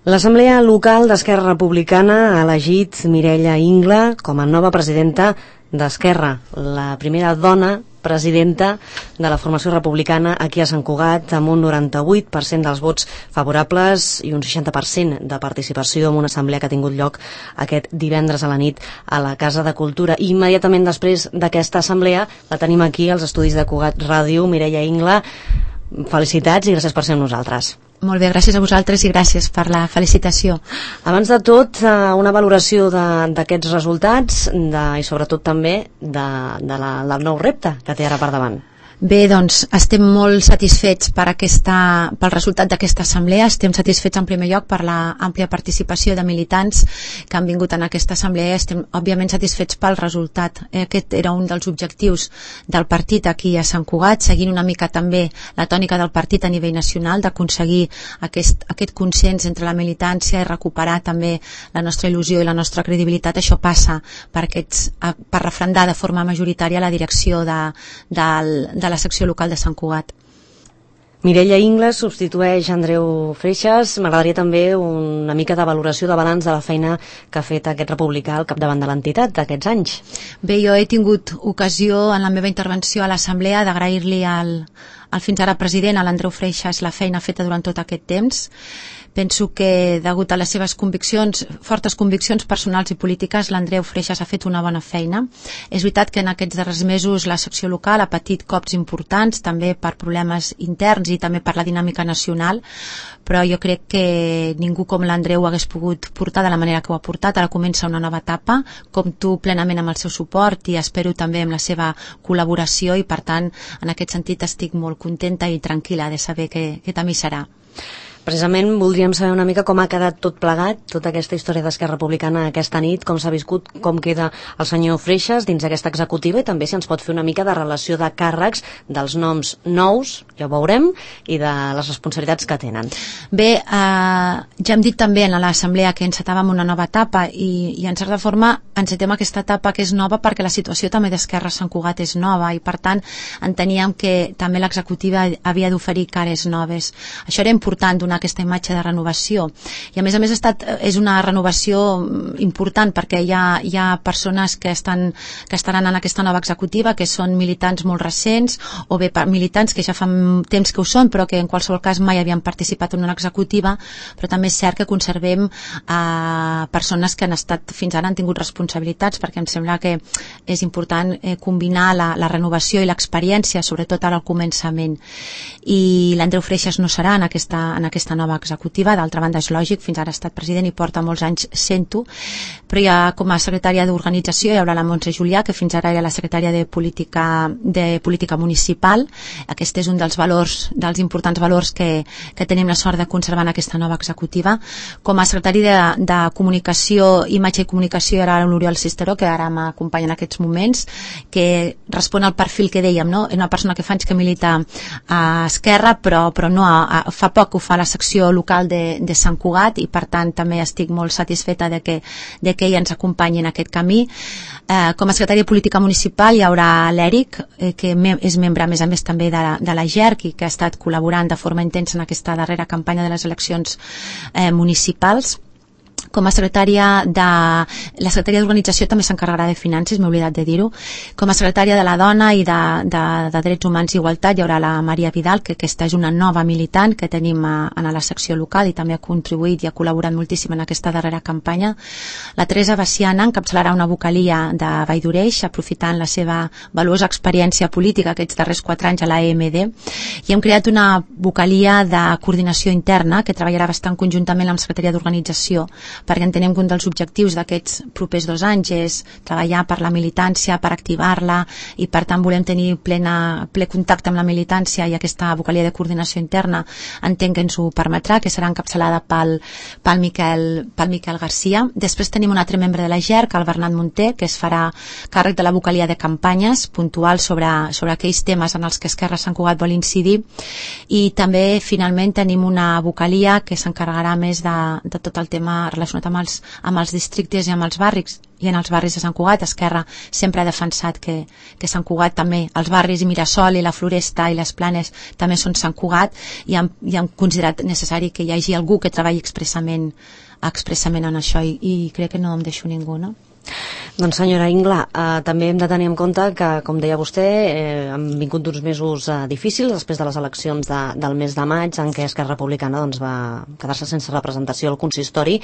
L'Assemblea Local d'Esquerra Republicana ha elegit Mireia Ingla com a nova presidenta d'Esquerra, la primera dona presidenta de la formació republicana aquí a Sant Cugat, amb un 98% dels vots favorables i un 60% de participació en una assemblea que ha tingut lloc aquest divendres a la nit a la Casa de Cultura. I immediatament després d'aquesta assemblea la tenim aquí als estudis de Cugat Ràdio. Mireia Ingla, felicitats i gràcies per ser amb nosaltres. Molt bé, gràcies a vosaltres i gràcies per la felicitació. Abans de tot, una valoració d'aquests resultats i sobretot també del nou repte que té ara per davant. Bé, doncs estem molt satisfets pel resultat d'aquesta assemblea. Estem satisfets en primer lloc per la àmplia participació de militants que han vingut en aquesta assemblea. Estem òbviament satisfets pel resultat. Aquest era un dels objectius del partit aquí a Sant Cugat, seguint una mica també la tònica del partit a nivell nacional, d'aconseguir aquest consens entre la militància i recuperar també la nostra il·lusió i la nostra credibilitat. Això passa per refrendar de forma majoritària la direcció de la secció local de Sant Cugat. Mireia Ingla substitueix Andreu Freixas. M'agradaria també una mica de valoració de balanç de la feina que ha fet aquest republicà al capdavant de l'entitat d'aquests anys. Bé, jo he tingut ocasió en la meva intervenció a l'assemblea d'agrair-li al fins ara president, a l'Andreu Freixas, la feina feta durant tot aquest temps. Penso que, degut a les seves fortes conviccions personals i polítiques, l'Andreu Freixas ha fet una bona feina. És veritat que en aquests darrers mesos la secció local ha patit cops importants, també per problemes interns i també per la dinàmica nacional, però jo crec que ningú com l'Andreu hagués pogut portar de la manera que ho ha portat. Ara comença una nova etapa, compto plenament amb el seu suport i espero també amb la seva col·laboració i, per tant, en aquest sentit estic molt contenta i tranquil·la de saber que també serà. Precisament voldríem saber una mica com ha quedat tot plegat, tota aquesta història d'Esquerra Republicana aquesta nit, com s'ha viscut, com queda el senyor Freixas dins d'aquesta executiva i també si ens pot fer una mica de relació de càrrecs, dels noms nous, ja ho veurem, i de les responsabilitats que tenen. Bé, ja hem dit també en l'assemblea que encetàvem una nova etapa i en certa forma encetem aquesta etapa que és nova perquè la situació també d'Esquerra a Sant Cugat és nova i per tant enteníem que també l'executiva havia d'oferir cares noves. Això era important, donar aquesta imatge de renovació i a més és una renovació important perquè hi ha persones que estaran en aquesta nova executiva que són militants molt recents o bé militants que ja fa temps que ho són però que en qualsevol cas mai havien participat en una executiva, però també és cert que conservem persones que han estat fins ara han tingut responsabilitats perquè em sembla que és important combinar la renovació i l'experiència, sobretot ara al començament, i l'Andreu Freixas no serà en aquesta nova executiva. D'altra banda és lògic, fins ara ha estat president i porta molts anys sent-ho, però ja com a secretària d'organització hi haurà la Montse Julià, que fins ara era la secretària de política municipal. Aquest és un dels importants valors que tenim la sort de conservar en aquesta nova executiva. Com a secretari de comunicació, imatge i comunicació hi haurà l'Oriol Cisteró, que ara m'acompanya en aquests moments, que respon al perfil que dèiem, no? És una persona que fa anys que milita a Esquerra, però no fa poc ho fa a la secció local de Sant Cugat i per tant també estic molt satisfeta de que ell ens acompanyi en aquest camí. Com a secretària de política municipal hi haurà l'Eric, que és membre a més també de la GERC i que ha estat col·laborant de forma intensa en aquesta darrera campanya de les eleccions municipals. Com a secretària la secretària d'organització també s'encarregarà de finances, m'he oblidat de dir-ho. Com a secretària de la dona i de drets humans i igualtat hi haurà la Maria Vidal, que aquesta és una nova militant que tenim en la secció local i també ha contribuït i ha col·laborat moltíssim en aquesta darrera campanya. La Teresa Baciana encapçalarà una vocalia de Vall d'Oreix, aprofitant la seva valuosa experiència política aquests darrers 4 anys a la EMD, i hem creat una vocalia de coordinació interna que treballarà bastant conjuntament amb la secretaria d'organització, perquè entenem que un dels objectius d'aquests propers 2 anys és treballar per la militància, per activar-la i per tant volem tenir ple contacte amb la militància i aquesta vocalia de coordinació interna entenc que ens ho permetrà, que serà encapçalada pel Miquel Garcia. Després tenim un altre membre de la GERC, el Bernat Munté, que es farà càrrec de la vocalia de campanyes puntuals sobre aquells temes en els que Esquerra Sant Cugat vol incidir, i també finalment tenim una vocalia que s'encarregarà més de tot el tema relacionat relacionat amb els districtes i amb els barris, i en els barris de Sant Cugat. Esquerra sempre ha defensat que Sant Cugat també, els barris i Mirasol i la Floresta i les Planes també són Sant Cugat, i hem considerat necessari que hi hagi algú que treballi expressament en això, i crec que no em deixo ningú, no? Doncs senyora Ingla, també hem de tenir en compte que, com deia vostè, han vingut uns mesos difícils després de les eleccions del mes de maig, en què Esquerra Republicana doncs, va quedar-se sense representació al consistori.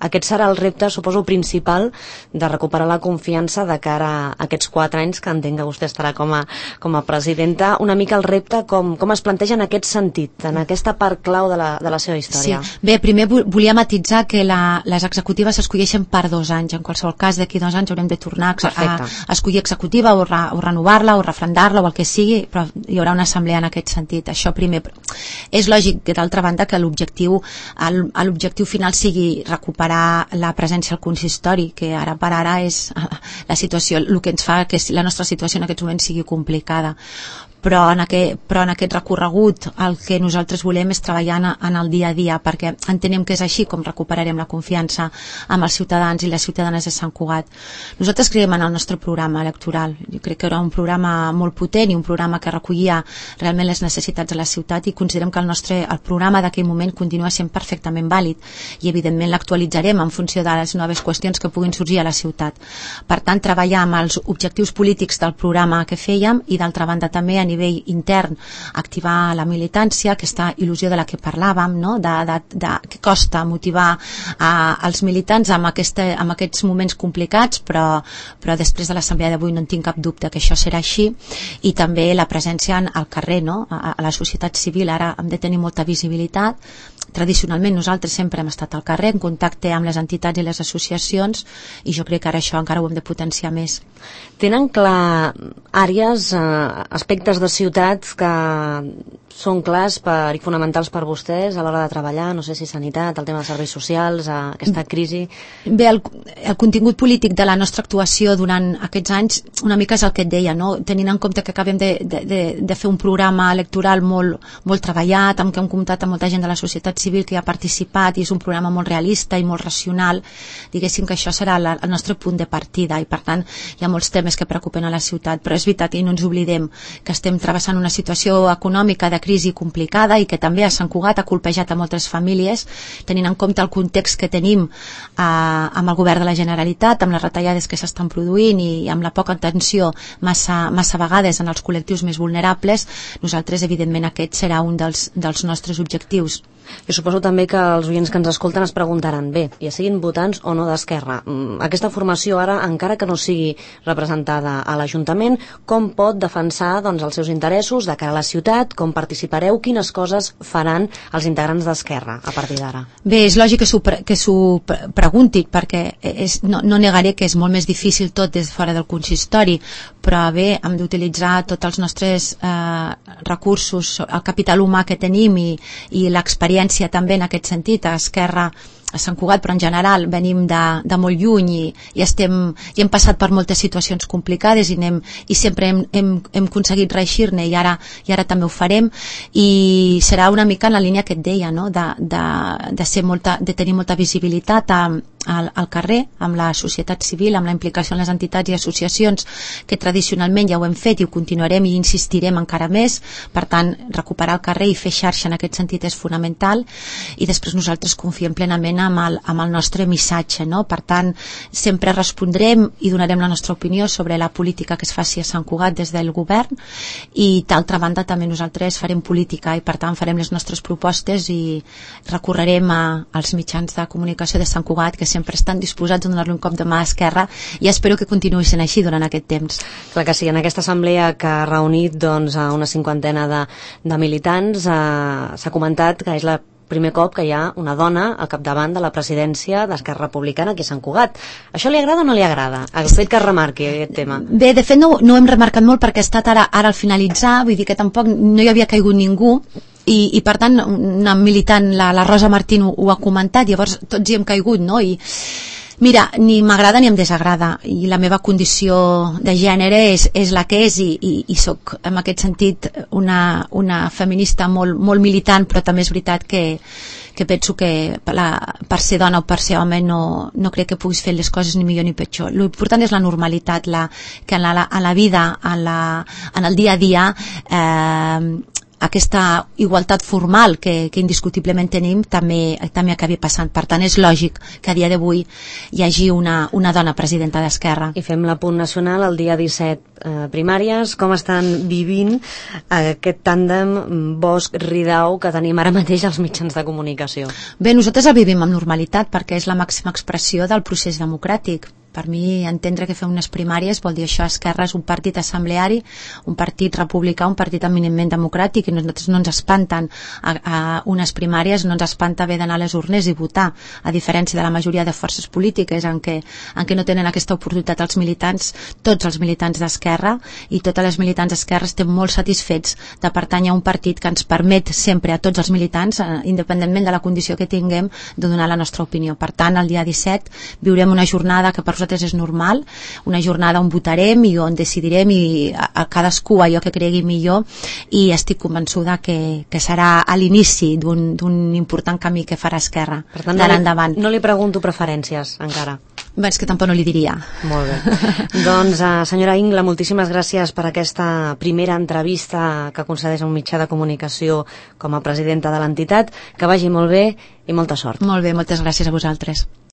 Aquest serà el repte, suposo, principal de recuperar la confiança de cara a aquests 4 anys que entenc que vostè estarà com a presidenta. Una mica el repte, com es planteja en aquest sentit, en aquesta part clau de la seva història. Sí. Bé, primer volia matitzar que les executives s'escolleixen per 2 anys. En qualsevol cas, d'aquí 2 anys haurem de tornar a escollir executiva o renovar-la o refrendar-la o el que sigui, però hi haurà una assemblea en aquest sentit. Això primer. És lògic, d'altra banda, que l'objectiu final sigui recuperar la presència al consistori, que ara per ara és la situació, el que ens fa que la nostra situació en aquests moments sigui complicada. Però en aquest recorregut el que nosaltres volem és treballar en el dia a dia, perquè entenem que és així com recuperarem la confiança amb els ciutadans i les ciutadanes de Sant Cugat. Nosaltres creiem en el nostre programa electoral. Jo crec que era un programa molt potent i un programa que recollia realment les necessitats de la ciutat, i considerem que el programa d'aquell moment continua sent perfectament vàlid, i evidentment l'actualitzarem en funció de les noves qüestions que puguin sorgir a la ciutat. Per tant, treballar amb els objectius polítics del programa que fèiem, i d'altra banda també a nivell intern activar la militància, aquesta il·lusió de la que parlàvem, no? de que costa motivar els militants amb aquests moments complicats, però després de l'assemblea d'avui no en tinc cap dubte que això serà així. I també la presència al carrer, no? A la societat civil ara hem de tenir molta visibilitat. Tradicionalment nosaltres sempre hem estat al carrer, en contacte amb les entitats i les associacions, i jo crec que ara això encara ho hem de potenciar més. Tenen clar àrees, aspectes de ciutats que són clars i fonamentals per vostès a l'hora de treballar, no sé si sanitat, el tema dels serveis socials, aquesta crisi? Bé, el contingut polític de la nostra actuació durant aquests anys una mica és el que et deia, no? Tenint en compte que acabem de fer un programa electoral molt treballat, amb què hem comptat amb molta gent de la societat civil que hi ha participat, i és un programa molt realista i molt racional, diguéssim que això serà el nostre punt de partida, i per tant hi ha molts temes que preocupen a la ciutat, però és veritat, i no ens oblidem que estem travessant una situació econòmica de crisi complicada, i que també a Sant Cugat ha colpejat a moltes famílies, tenint en compte el context que tenim amb el govern de la Generalitat, amb les retallades que s'estan produint i amb la poca atenció massa vegades en els col·lectius més vulnerables. Nosaltres, evidentment, aquest serà un dels nostres objectius. Jo suposo també que els oients que ens escolten es preguntaran, bé, ja siguin votants o no d'Esquerra, aquesta formació ara, encara que no sigui representada a l'Ajuntament, com pot defensar doncs, els seus interessos de cara a la ciutat, com participareu, quines coses faran els integrants d'Esquerra a partir d'ara? Bé, és lògic que s'ho preguntin, perquè no negaré que és molt més difícil tot des de fora del consistori, però bé, hem d'utilitzar tots els nostres recursos, el capital humà que tenim i l'experiència també en aquest sentit. A Esquerra, a Sant Cugat, però en general venim de molt lluny i hem passat per moltes situacions complicades i sempre hem aconseguit reeixir-ne, i ara també ho farem, i serà una mica en la línia que et deia, no? de tenir molta visibilitat al carrer, amb la societat civil, amb la implicació en les entitats i associacions, que tradicionalment ja ho hem fet i ho continuarem i insistirem encara més. Per tant, recuperar el carrer i fer xarxa en aquest sentit és fonamental, i després nosaltres confiem plenament amb el nostre missatge, no? Per tant, sempre respondrem i donarem la nostra opinió sobre la política que es faci a Sant Cugat des del govern, i d'altra banda també nosaltres farem política, i per tant farem les nostres propostes i recorrerem als mitjans de comunicació de Sant Cugat, que sempre estan disposats a donar-li un cop de mà a Esquerra, i espero que continuï sent així durant aquest temps. Clar que sí, en aquesta assemblea que ha reunit a una 50 de militants s'ha comentat que és el primer cop que hi ha una dona al capdavant de la presidència d'Esquerra Republicana aquí a Sant Cugat. Això li agrada o no li agrada? El fet que es remarqui aquest tema. Bé, de fet no ho hem remarcat molt perquè ha estat ara al finalitzar, vull dir que tampoc no hi havia caigut ningú, i per tant una militant, la Rosa Martín ho ha comentat, llavors tots hi hem caigut, no? I Mira, ni m'agrada ni em desagrada, i la meva condició de gènere és la que és, i soc en aquest sentit una feminista molt militant, però també és veritat que penso que per ser dona o per ser home no crec que puguis fer les coses ni millor ni pitjor. L'important és la normalitat, que en la vida, en el dia a dia, aquesta igualtat formal que indiscutiblement tenim també acabi passant. Per tant, és lògic que a dia d'avui hi hagi una dona presidenta d'Esquerra. I fem l'apunt nacional, el dia 17 primàries. Com estan vivint aquest tàndem Bosch-Ridao que tenim ara mateix als mitjans de comunicació? Bé, nosaltres el vivim amb normalitat perquè és la màxima expressió del procés democràtic. Per mi, entendre que fem unes primàries vol dir això. Esquerra és un partit assembleari, un partit republicà, un partit eminentment democràtic, i nosaltres no ens espanten a unes primàries, no ens espanta haver d'anar a les urnes i votar, a diferència de la majoria de forces polítiques en què no tenen aquesta oportunitat els militants. Tots els militants d'Esquerra i totes les militants d'Esquerra estem molt satisfets de pertànyer a un partit que ens permet sempre a tots els militants, independentment de la condició que tinguem, de donar la nostra opinió. Per tant, el dia 17 viurem una jornada que per nosaltres és normal, una jornada on votarem i on decidirem, i a cadascú allò que cregui millor, i estic convençuda que serà a l'inici d'un important camí que farà Esquerra d'ara endavant. No li pregunto preferències encara. Bé, és que tampoc no li diria. Molt bé. Doncs, senyora Ingla, moltíssimes gràcies per aquesta primera entrevista que concedeix a un mitjà de comunicació com a presidenta de l'entitat. Que vagi molt bé i molta sort. Molt bé, moltes gràcies a vosaltres.